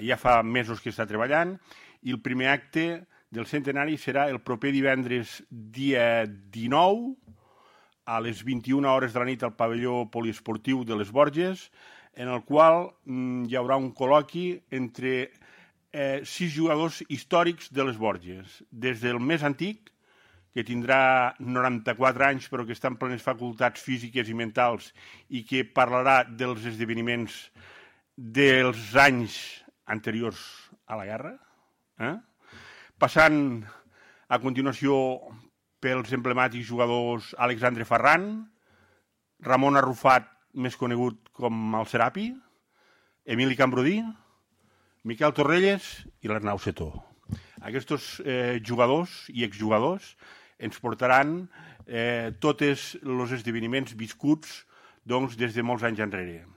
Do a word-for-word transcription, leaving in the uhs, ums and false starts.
ja fa mesos que està treballant, i el primer acte del centenari serà el proper divendres dia dinou, a les vint-i-una hores de la nit al pavelló poliesportiu de les Borges, en el qual mm, hi haurà un col·loqui entre eh, sis jugadors històrics de les Borges, des del més antic, que tindrà noranta-quatre anys però que està en plenes facultats físiques i mentals i que parlarà dels esdeveniments dels anys anteriors a la guerra, eh? Passant a continuació pels emblemàtics jugadors Alexandre Ferran, Ramon Arrufat, més conegut com el Serapi, Emili Cambrudí, Miquel Torrelles i l'Arnau Setó. Aquests eh, jugadors i exjugadors ens portaran eh, tots els esdeveniments viscuts doncs, des de molts anys enrere.